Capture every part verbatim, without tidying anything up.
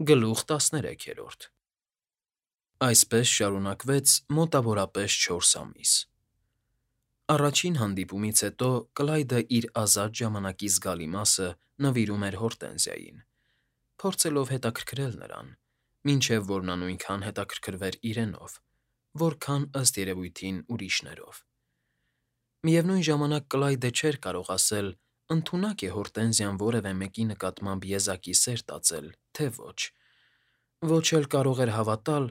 Գլուխ տասներեքերորդ Այսպես շարունակվեց մոտավորապես չորս ամիս։ Առաջին հանդիպումից հետո Կլայդը իր ազատ ժամանակի զգալի մասը նվիրում էր Հորտենզիային, փորձելով հետաքրքրել նրան, մինչև որ նա նույնքան հետաքրքրվեր իրենով, որքան, ըստ երևույթին, ուրիշներով։ Միևնույն ժամանակ Կլայդը չէր կարող ասել՝ ընդունակ է Հորտենզիան որևէ մեկի նկատմամբ եզակի սեր տածել, թե ոչ, ոչ էլ կարող էր հավատալ,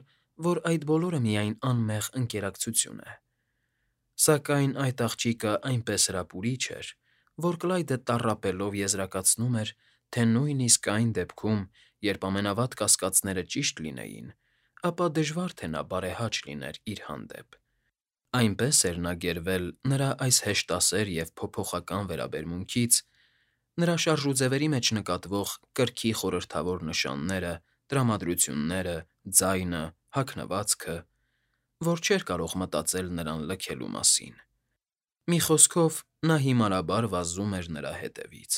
որ այդ բոլորը միայն անմեղ ընկերակցություն է։ Սակայն այդ աղջիկը այնպես հրապուրիչ էր, որ Կլայդը տառապելով եզրակացնում էր, թե նույնիսկ այն դեպքում, երբ ամենավատ կասկածները ճիշտ լինեին, ապա դժվար թե նա բարեհաճ լիներ իր հանդեպ։ Այնպես էր նա գերվել նրա այս հեշտասեր և փոփոխական վերաբերմունքից, նրա շարժուձևերի մեջ նկատվող կրքի խորհրդավոր նշանները, տրամադրությունները, ձայնը, հագնվածքը, որ չէր կարող մտածել նրան լքելու մասին։ Մի խոսքով, նա հիմարաբար վազում էր նրա հետևից,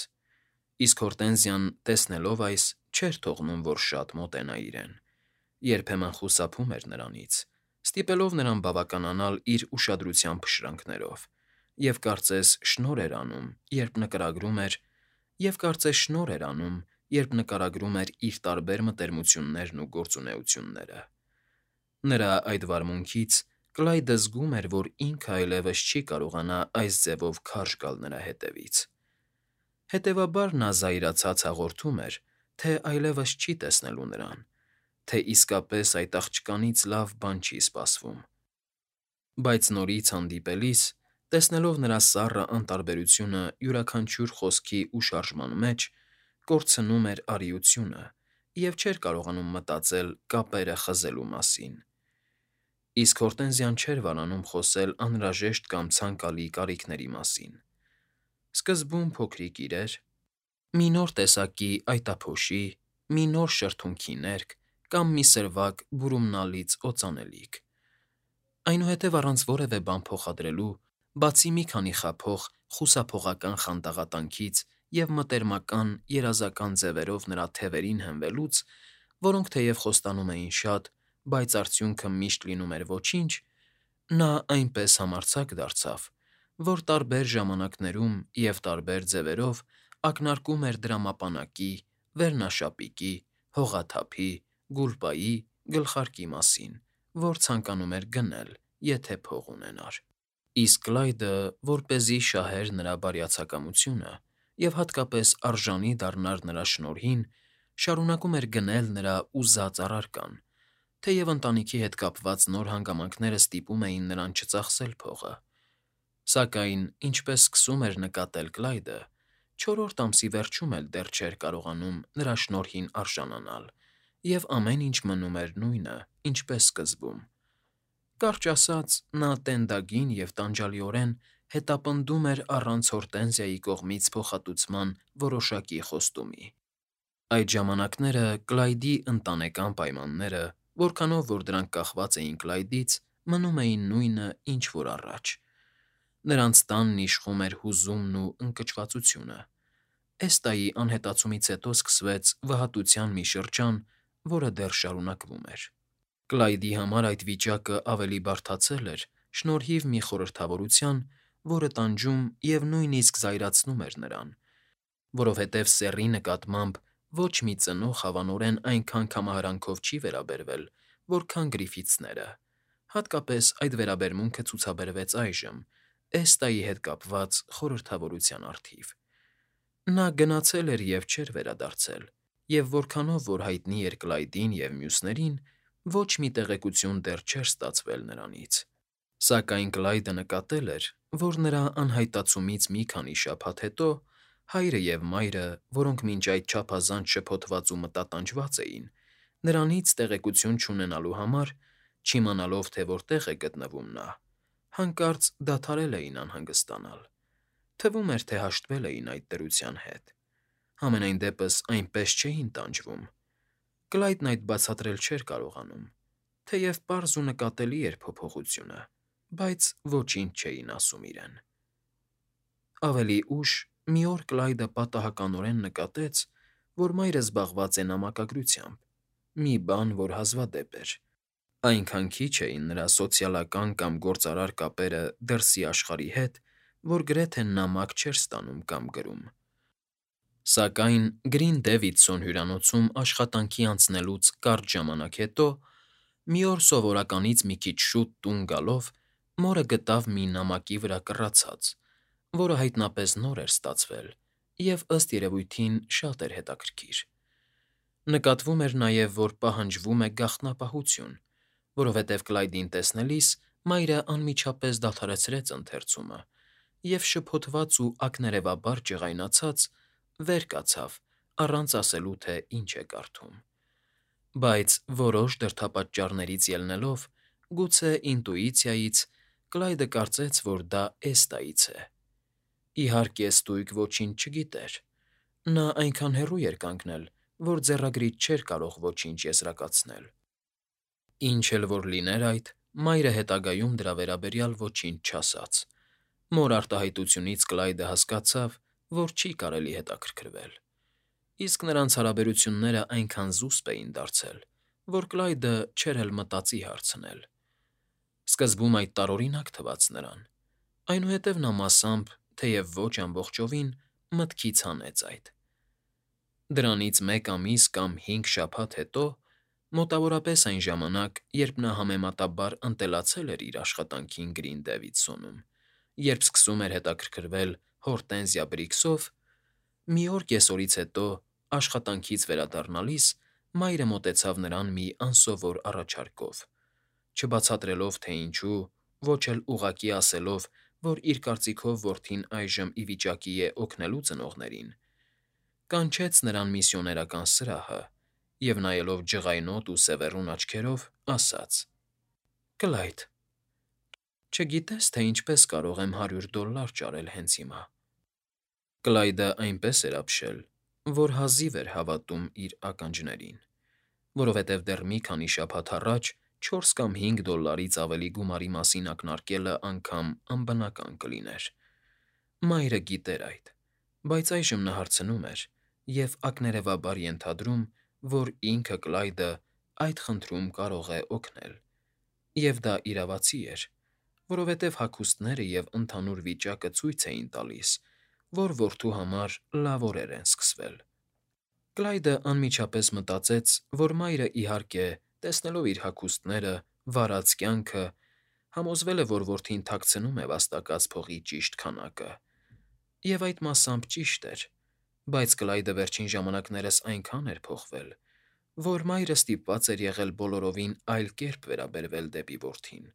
իսկ Հորտենզիան, տեսնելով այս, չէր թողնում, որ շատ մոտենա իրեն, երբեմն խուսափում էր նրանից, ստիպելով նրան բավականանալ իր ուշադրության փշրանքներով, և կարծես շնորհ էր անում, երբ նկարագրում էր, և կարծես շնորհ էր անում, երբ նկարագրում էր իր տարբեր մտերմություններն ու գործունեությունները։ Նրա այդ վարմունքից Կլայդը զգում էր, որ ինքը այլևս չի կարողանա այս ձևով քարշ գալ նրա հետևից։ Հետևաբար նա զայրացած հաղորդում էր, թե այլևս չի տեսնելու նրան, թե իսկապես այդ աղջկանից լավ բան չի սպասվում։ Բայց նորից հանդիպելիս, տեսնելով նրա սառը անտարբերությունը յուրաքանչյուր խոսքի ու շարժման մեջ, կորցնում էր արիությունը և չէր կարողանում մտածել կապերը խզելու մասին։ Իսկ Հորտենզիան չէր վարանում խոսել անհրաժեշտ կամ ցանկալի կարիքների մասին։ Սկզբում փոքրիկ իրեր, մի նոր տեսակի այտափոշի, մի նոր շրթունքի ներք կամ մի սրվակ բուրումնալից օծանելիք։ Այնուհետև առանց որևէ բան փոխադրելու, բացի մի քանի խաբող խուսափողական խանդաղատանքից և մտերմական, երազական ձևերով նրա թևերին հենվելուց, որոնք թեև խոստանում էին շատ, բայց արդյունքը միշտ լինում էր ոչինչ, նա այնպես համարձակ դարձավ, որ տարբեր ժամանակներում և տարբեր ձևերով ակնարկում էր դրամապանակի, վերնաշապիկի, հողաթափի, գուլպայի, գլխարկի մասին, որ ցանկանում էր գնել, եթե փող ունենար։ Իսկ Կլայդը, որպեսզի շահեր նրա բարյացակամությունը և հատկապես արժանի դառնար նրա շնորհին, շարունակում էր գնել նրա ուզած առարկան, թեև ընտանիքի հետ կապված նոր հանգամանքները ստիպում էին նրան չծախսել փողը։ Սակայն, ինչպես սկսում էր նկատել Կլայդը, չորրորդ ամսի վերջում էլ դեռ չէր կարողանում նրա շնորհին արժանանալ, և ամեն ինչ մնում էր նույնը, ինչպես սկզբում։ Կարճ ասած, նա տենդագին և տանջալիորեն հետապնդում էր առանց Հորտենզիայի կողմից փոխհատուցման որոշակի խոստումի։ Այդ ժամանակները Կլայդի ընտանեկան պայմանները, որքանով որ դրանք կախված էին Կլայդից, մնում էին նույնը, ինչ որ առաջ։ Նրանց տանն իշխում էր հուզումն ու ընկճվածությունը։ Էստայի անհետացումից հետո սկսվեց վհատության մի շրջան, որը դեռ շարունակվում էր։ Կլայդի համար այդ վիճակը ավելի բարդացել էր շնորհիվ մի խորհրդավորության, որը տանջում և նույնիսկ զայրացնում էր նրան, որովհետև սեռի նկատմամբ ոչ մի ծնող հավանորեն այնքան կամահարանքով չի վերաբերվել, որքան Գրիֆիթսները, հատկապես այդ վերաբերմունքը ցուցաբերվեց այժմ, Էստայի հետ կապված խորհրդավորության առթիվ։ Նա գնացել էր և չէր վերադարձել, և որքանով որ հայտնի էր Կլայդին և մյուսներին, ոչ մի տեղեկություն դեռ չէր ստացվել նրանից։ Սակայն Կլայդը նկատել էր, որ նրա անհայտացումից մի քանի շաբաթ հետո հայրը և մայրը, որոնք մինչ այդ չափազանց շփոթված ու մտատանջված էին, նրանից տեղեկություն չունենալու համար, չիմանալով, թե որտեղ է գտնվում նա, հանկարծ դադարել էին անհանգստանալ։ Թվում էր, թե հաշտվել էին այդ դրության հետ։ Համենայն դեպս այնպես չէին տանջվում։ Կլայդն այդ բացատրել չէր կարողանում, թեև պարզ ու նկատելի էր փոփոխությունը, բայց ոչինչ չէին ասում իրեն։ Ավելի ուշ մի օր Կլայդը պատահականորեն նկատեց, որ մայրը զբաղված է նամակագրությամբ, մի բան, որ հազվադեպ էր։ Այնքան քիչ էին նրա սոցիալական կամ գործարար կապերը դրսի աշխարհի հետ, որ գրեթե նամակ չէր ստանում կամ գրում։ Սակայն Գրին Դեվիդսոն հյուրանոցում աշխատանքի անցնելուց կարճ ժամանակ հետո, մի օր սովորականից մի քիչ շուտ տուն գալով, մորը գտավ մի նամակի վրա կռացած, որը հայտնապես նոր էր ստացվել և, ըստ երևույթին, շատ էր հետաքրքիր։ Նկատվում էր նաև, որ պահանջվում է գաղտնապահություն, որովհետև Կլայդին տեսնելիս մայրը անմիջապես դադարեցրեց ընթերցումը և, շփոթված ու ակներևաբար ջղայնացած, վեր կացավ, առանց ասելու, թե ինչ է կարդում։ Բայց որոշ դրդապատճառներից ելնելով, գուցե ինտուիցիայից, Կլայդը կարծեց, որ դա Էստայից է։ Իհարկե, ստույգ ոչինչ չգիտեր. նա այնքան հեռու էր կանգնել, որ ձեռագրից չէր կարող ոչինչ եզրակացնել։ Ինչ էլ որ լիներ այդ, մայրը հետագայում դրա վերաբերյալ ոչինչ չասաց։ Մոր արտահայտությունից Կլայդը հասկացավ, որ չի կարելի հետաքրքրվել։ Իսկ նրանց հարաբերությունները այնքան զուսպ էին դարձել, որ Կլայդը չէր էլ մտածի հարցնել։ Սկզբում այդ տարօրինակ թվաց նրան, այնուհետև նա մասամբ, թեև ոչ ամբողջովին, մտքից հանեց այդ։ Դրանից մեկ ամիս կամ հինգ շաբաթ հետո, մոտավորապես այն ժամանակ, երբ նա համեմատաբար ընտելացել էր իր աշխատանքին Գրին Դեվիդսոնում, երբ սկսում էր հետաքրքրվել Հորտենզիա Բրիքսով, մի օր կեսօրից հետո, աշխատանքից վերադառնալիս, մայրը մոտեցավ նրան մի անսովոր առաջարկով, չբացատրելով, թե ինչու, ոչ էլ ուղղակի ասելով, որ իր կարծիքով որդին այժմ ի վիճակի է օգնելու ծնողներին, կանչեց նրան միսիոներական սրահը և, նայելով ջղայնոտ ու սևեռուն աչքերով, ասաց. «Կլայդ, չգիտես, թե ինչպես կարող եմ հարյուր դոլլար ճարել հենց հիմա»։ Կլայդը այնպես էր ապշել, որ հազիվ էր հավատում իր ականջներին, որովհետև դեռ մի քանի շաբաթ առաջ չորս կամ հինգ դոլլարից ավելի գումարի մասին ակնարկելը անգամ անբնական կլիներ։ Մայրը գիտեր այդ, բայց այժմ նա հարցնում էր և ակներևաբար ենթադրում, որ ինքը՝ Կլայդը, այդ խնդրում կարող է օգնել։ Եվ դա իրավացի էր, որովհետև հագուստները և ընդհանուր վիճակը ցույց էին տալիս, որ որդու համար լավ օրեր են սկսվել։ Կլայդը անմիջապես մտածեց, որ մայրը, իհարկե, տեսնելով իր հագուստները, վարած կյանքը, համոզվել է, որ որդին թաքցնում է վաստակած փողի ճիշտ քանակը։ Եվ այդ մասամբ ճիշտ էր, բայց Կլայդը վերջին ժամանակներս այնքան էր փոխվել, որ մայրը ստիպված էր եղել բոլորովին այլ կերպ վերաբերվել դեպի որդին։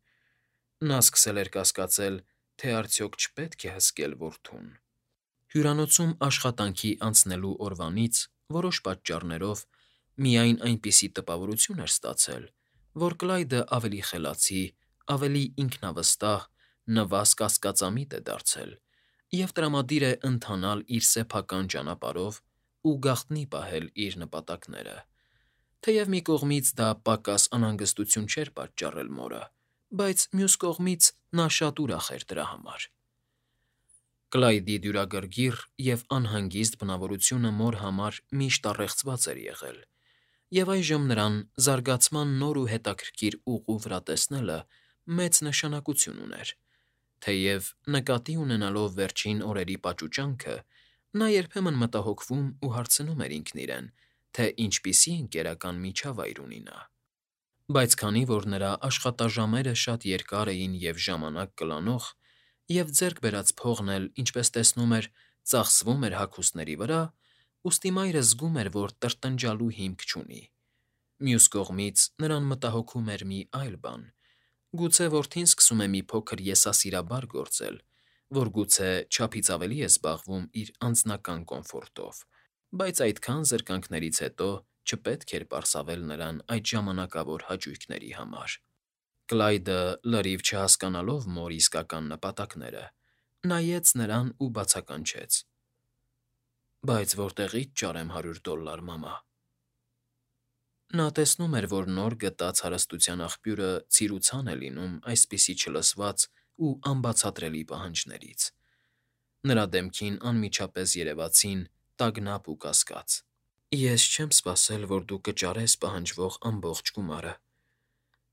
Նա սկսել էր կասկածել, թե արդյոք չպետք է հսկել որդուն։ Հյուրանոցում աշխատանքի անցնելու օրվանից, որոշ պատճառներով, միայն այնպիսի տպավորություն էր ստացել, որ Կլայդը ավելի խելացի, ավելի ինքնավստահ, նվազ կասկածամիտ է դարձել և տրամադիր է ընթանալ իր սեփական ճանապարհով ու գաղտնի պահել իր նպատակները։ Թեև մի կողմից դա պակաս անհանգստություն չէր պատճառել մորը, բայց մյուս կողմից նա շատ ուրախ էր դրա համար։ Կլայդի դյուրագրգիռ և անհանգիստ բնավորությունը մոր համար միշտ առեղծված էր եղել, և այժմ նրան զարգացման նոր ու հետաքրքիր ուղու վրա տեսնելը մեծ նշանակություն ուներ։ Թեև, նկատի ունենալով վերջին օրերի պաճուճանքը, նա երբեմն մտահոգվում ու հարցնում էր ինքն իրեն, թե ինչպիսի ընկերական միջավայր ունի նա։ Բայց քանի որ նրա աշխատաժամերը շատ երկար էին և ժամանակ կլանող, և ձեռք բերած փողն էլ, ինչպես տեսնում էր, ծախսվում էր հագուստների վրա, ուստի մայրը զգում էր, որ տրտնջալու հիմք չունի։ Մյուս կողմից, նրան մտահոգում էր մի այլ բան. գուցե որդին սկսում է մի փոքր եսասիրաբար գործել, որ գուցե չափից ավելի է զբաղվում իր անձնական կոմֆորտով, բայց այդքան զրկանքներից հետո չպետք էր պարսավել նրան այդ ժամանակավոր հաճույքների համար։ Կլայդը, լրիվ չհասկանալով մոր իսկական նպատակները, նայեց նրան ու բացականչեց. «Բայց որտեղի՞ց ճարեմ հարյուր դոլլար, մամա»։ Նա տեսնում էր, որ նոր գտած հարստության աղբյուրը ցիրուցան է լինում այսպիսի չլսված ու անբացատրելի պահանջներից։ Նրա դեմքին անմիջապես երևացին տագնապ ու կասկած։ Ես չեմ սպասել, որ դու կճարես պահանջվող ամբողջ գումարը,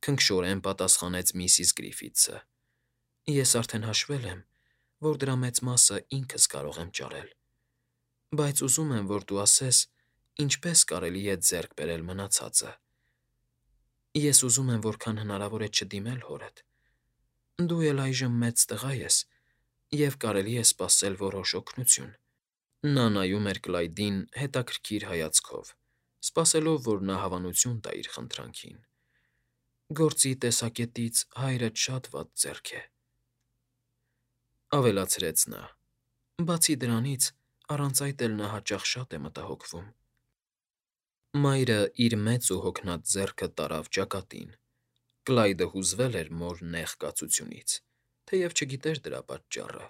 քնքշորեն պատասխանեց միսիս Գրիֆիթսը։ Ես արդեն հաշվել եմ, որ դրա մեծ մասը ինքս կարող եմ ճարել, բայց ուզում եմ, որ դու ասես, ինչպես կարելի է ձեռք բերել մնացածը։ Ես ուզում եմ որքան հնարավոր է չդիմել հորդ։ Դու էլ այժմ մեծ տղա ես, և կարելի է սպասել որոշ օգնություն։ Նա նայում էր Կլայդին հետաքրքիր հայացքով, սպասելով, որ նա հավանություն տա իր խնդրանքին։ Գործի տեսակետից հայրդ շատ վատ ձեռք է, ավելացրեց նա։ Բացի դրանից, առանց այդ էլ նա հաճախ շատ է մտահոգվում։ Մայրը իր մեծ ու հոգնած ձեռքը տարավ ճակատին։ Կլայդը հուզվել էր մոր նեղ կացությունից, թեև չգիտեր դրա պատճառը։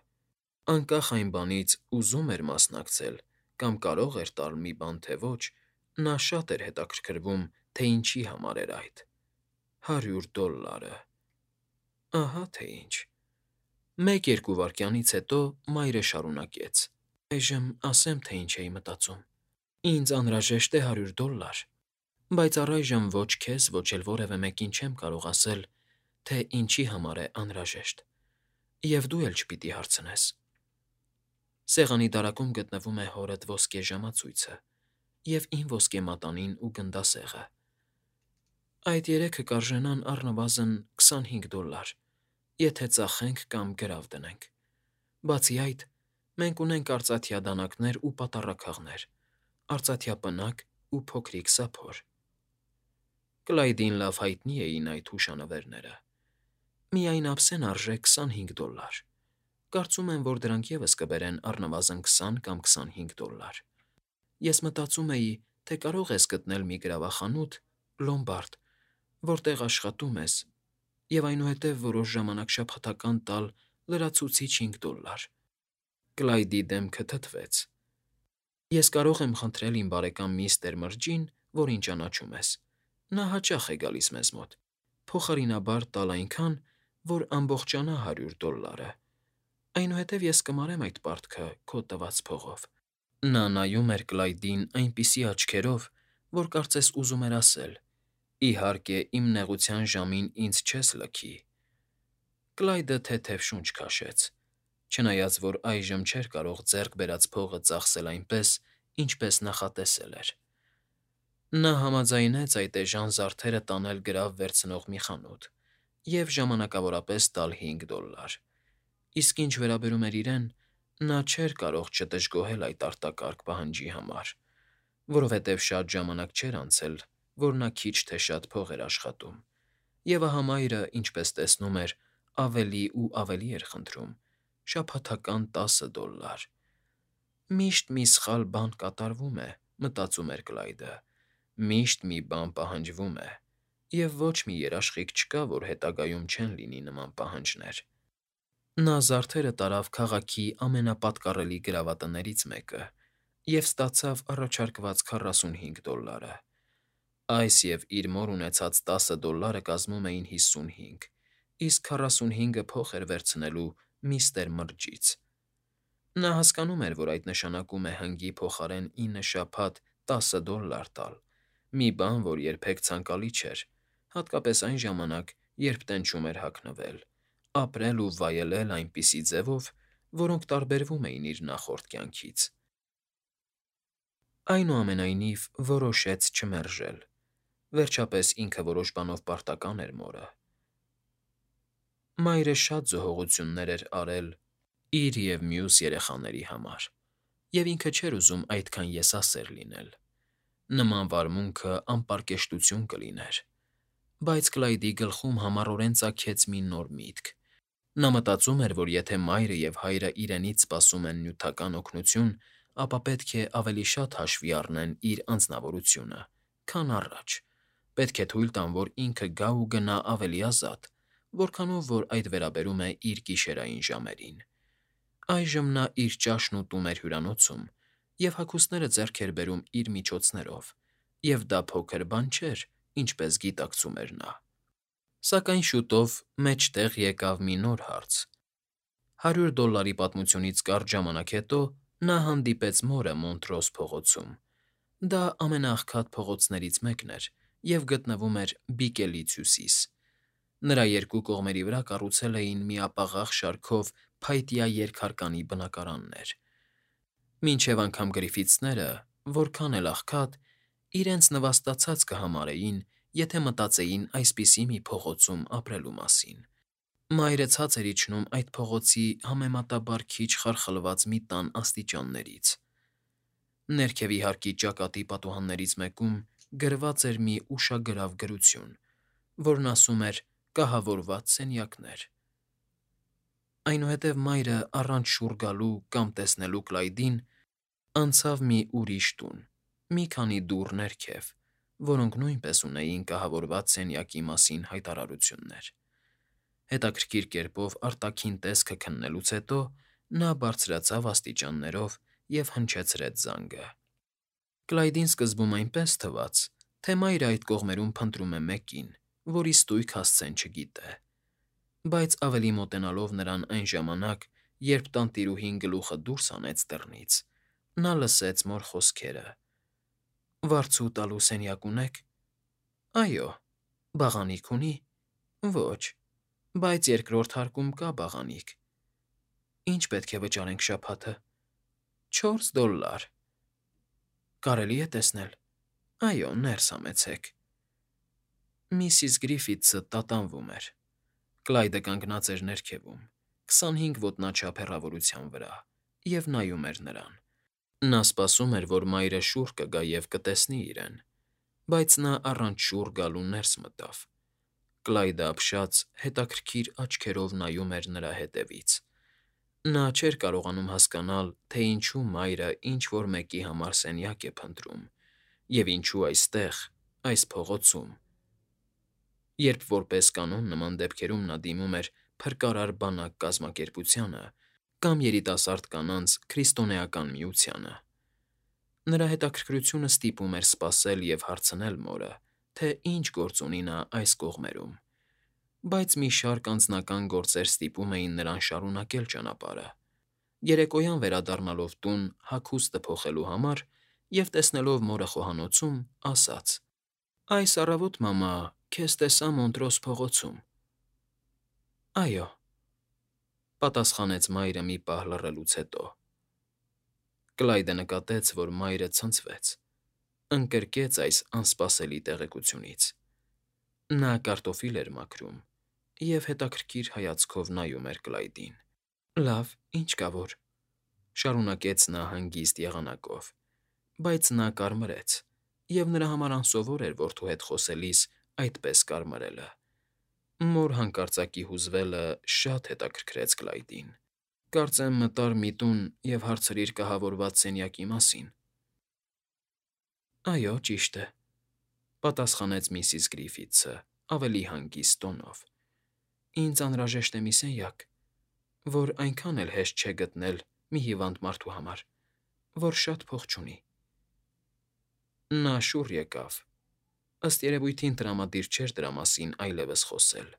Անկախ այն բանից ուզում էր մասնակցել կամ կարող էր տալ մի բան, թե ոչ, նա շատ էր հետաքրքրվում, թե ինչի համար էր այդ։ Հարյուր դոլլարը… Ահա թե ինչ։ Մեկ֊երկու վայրկյանից հետո մայրը շարունակեց. Այժմ ասեմ, թե ինչ էի մտածում։ Ինձ անհրաժեշտ է հարյուր դոլլար, բայց առայժմ ոչ քեզ, ոչ էլ որևէ մեկին չեմ կարող ասել, թե ինչի համար է անհրաժեշտ, և դու էլ չպիտի հարցնես։ Սեղանի դարակում գտնվում է հորդ ոսկե ժամացույցը և իմ ոսկե մատանին ու գնդասեղը։ Այդ երեքը կարժենան առնվազն քսանհինգ դոլլար, եթե ծախենք կամ գրավ դնենք։ Բացի այդ, մենք ունենք արծաթյա դանականեր ու պատառաքաղներ, արծաթյա պնակ ու փոքրիկ սափոր։ Կլայդին լավ հայտնի էին այդ հուշանվերները։ Միայն ափսեն արժե քսանհինգ դոլլար։ Կարծում եմ, որ դրանք ևս կբերեն առնվազն քսան կամ քսանհինգ դոլլար։ Ես մտածում էի, թե կարող ես գտնել մի գրավախանութ, լոմբարդ, որտեղ աշխատում ես, և այնուհետև որոշ ժամանակ շաբաթական տալ լրացուցիչ հինգ դոլլար։ Կլայդի դեմքը թթվեց։ Ես կարող եմ խնդրել իմ բարեկամ միստր Մրջին, որին ճանաչում ես։ Նա հաճախ է գալիս մեզ մոտ, փոխարինաբար տալ այնքան, որ ամբողջանա հարյուր դոլլարը։ Այնուհետև ես կմարեմ այդ պարտքը քո տված փողով։ Նա նայում էր Կլայդին այնպիսի աչքերով, որ կարծես ուզում էր ասել. «Իհարկե, իմ նեղության ժամին ինձ չես լքի»։ Կլայդը թեթև շունչ քաշեց, չնայած որ այժմ չէր կարող ձեռք բերած փողը ծախսել այնպես, ինչպես նախատեսել էր։ Նա համաձայնեց այդ էժան զարդերը տանել գրավ վերցնող մի խանութ և ժամանակավորապես տալ հինգ դոլլար, իսկ ինչ վերաբերում էր իրեն, նա չէր կարող չդժգոհել այդ արտակարգ պահանջի համար, որովհետև շատ ժամանակ չէր անցել, որ նա քիչ թե շատ փող էր աշխատում, և ահա մայրը, ինչպես տեսնում էր, ավելի ու ավելի էր խնդրում՝ շաբաթական տասը դոլլար։ «Միշտ մի սխալ բան կատարվում է», մտածում էր Կլայդը, «միշտ մի բան պահանջվում է, և ոչ մի երաշխիք չկա, որ հետագայում չեն լինի նման պահանջներ»։ Նա զարդերը տարավ քաղաքի ամենապատկառելի գրավատներից մեկը և ստացավ առաջարկված քառասունհինգ դոլլարը։ Այս և իր մոր ունեցած տասը դոլլարը կազմում էին հիսունհինգ, իսկ քառասունհինգը փոխ էր վերցնելու միստր Մրջից։ Նա հասկանում էր, որ այդ նշանակում է հնգի փոխարեն ինը շաբաթ տասը դոլլար տալ, մի բան, որ երբեք ցանկալի չէր, հատկապես այն ժամանակ, երբ տենչում էր հագնվել, ապրել ու վայելել այնպիսի ձևով, որոնք տարբերվում էին իր նախորդ կյանքից։ Այնուամենայնիվ, որոշեց չմերժել։ Վերջապես ինքը որոշ բանով պարտական էր մորը։ Մայրը շատ զոհողություններ էր արել իր և մյուս երեխաների համար, և ինքը չէր ուզում այդքան եսասեր լինել։ Նման վարմունքը անպարկեշտություն կլիներ։ Բայց Կլայդի գլխում համառորեն ծագեց մի նոր միտք։ Նա մտածում էր, որ եթե մայրը և հայրը իրենից սպասում են նյութական օգնություն, ապա պետք է ավելի շատ հաշվի առնեն իր անձնավորությունը, քան առաջ, պետք է թույլ տան, որ ինքը գա ու գնա ավելի ազատ, որքանով որ այդ վերաբերում է իր գիշերային ժամերին։ Այժմ նա իր ճաշն ուտում էր հյուրանոցում և հագուստները ձեռք էր բերում իր միջոցներով, և դա փոքր բան չէր, ինչպես գիտակցում էր նա։ Սակայն շուտով մեջտեղ եկավ մի նոր հարց։ Հարյուր դոլլարի պատմությունից կարճ ժամանակ հետո նա հանդիպեց մորը Մոնտրոս փողոցում, Դա ամենաաղքատ փողոցներից մեկն էր և գտնվում էր Բիկելից հյուսիս։ Նրա երկու կողմերի վրա կառուցել էին միապաղաղ շարքով փայտյա երկհարկանի բնակարաններ, մինչև անգամ Գրիֆիթսները, որքան էլ աղքատ, իրենց նվաստացած կհամարեին, եթե մտածեին այսպիսի մի փողոցում ապրելու մասին։ Մայրը ցած էր իջնում այդ փողոցի համեմատաբար քիչ խարխլված մի տան աստիճաններից։ Ներքևի հարկի ճակատի պատուհաններից մեկում գրված էր մի ուշագրավ գրություն, որն ասում էր «Կահավորված սենյակներ»։ Այնուհետև մայրը, առանց շուռ գալու կամ տեսնելու Կլայդին, անցավ մի ուրիշ տուն, մի քանի դուռ ներքև, որոնք նույնպես ունեին կահավորված սենյակի մասին հայտարարություններ։ Հետաքրքիր կերպով արտաքին տեսքը քննելուց հետո նա բարձրացավ աստիճաններով և հնչեցրեց զանգը։ Կլայդին սկզբում այնպես թվաց, թե մայրը այդ կողմերում փնտրում է մեկին, որի ստույգ հասցեն չգիտե, բայց ավելի մոտենալով նրան այն ժամանակ, երբ տանտիրուհին գլուխը դուրս հանեց դռնից, նա լսեց մոր խոսքերը. «Վարձու տալու սենյակ ունե՞ք»։ «Այո»։ «Բաղանիք ունի»։ «Ոչ, բայց երկրորդ հարկում կա բաղանիք»։ «Ինչ պետք է վճարենք շաբաթը»։ «Չորս դոլլար»։ «Կարելի է տեսնել»։ «Այո, ներս համեցեք»։ Միսիս Գրիֆիթսը տատանվում էր։ Կլայդը կանգնած էր ներքևում, քսանհինգ ոտնաչափ հեռավորության վրա, և նայում էր նրան։ Նա սպասում էր, որ մայրը շուռ կգա և կտեսնի իրեն, բայց նա առանց շուռ գալու ներս մտավ։ Կլայդը ապշած, հետաքրքիր աչքերով նայում էր նրա հետևից։ Նա չէր կարողանում հասկանալ, թե ինչու մայրը ինչ֊որ մեկի համար սենյակ է փնտրում, և ինչու այստեղ, այս փողոցում, երբ որպես կանոն նման դեպքերում նա դիմում էր Փրկարար բանակ կազմակերպությանը կամ Երիտասարդ կանանց քրիստոնեական միությանը։ Նրա հետաքրքրությունը ստիպում էր սպասել և հարցնել մորը, թե ինչ գործ ունի նա այս կողմերում, բայց մի շարք անձնական գործեր ստիպում էին նրան շարունակել ճանապարհը։ Երեկոյան վերադառնալով տուն հագուստը փոխելու համար և տեսնելով մորը խոհանոցում, ասաց. «Այս առավոտ, մամա, քեզ տեսա Մոնտրոս փողոցում»։ «Այո», պատասխանեց մայրը մի պահ լռելուց հետո։ Կլայդը նկատեց, որ մայրը ցնցվեց, ընկրկեց այս անսպասելի տեղեկությունից։ Նա կարտոֆիլ էր մաքրում և հետաքրքիր հայացքով նայում էր Կլայդին։ «Լավ, ինչ կա որ», շարունակեց նա հանգիստ եղանակով, բայց նա կարմրեց, և նրա համար անսովոր էր որդու հետ խոսելիս այդպես կարմրելը։ Մոր հանկարծակի հուզվելը շատ հետաքրքրեց Կլայդին։ «Կարծեմ մտար մի տուն և հարցրիր կահավորված սենյակի մասին»։ «Այո, ճիշտ է», պատասխանեց միսիս Գրիֆիթսը ավելի հանգիստ տոնով։ «Ինձ անհրաժեշտ է մի սենյակ, որ այնքան էլ հեշտ չէ գտնել մի հիվանդ մարդու համար, որ շատ փող չունի»։ Նա շուռ եկավ։ Ըստ երևույթին տրամադիր չէր դրա մասին այլևս խոսել։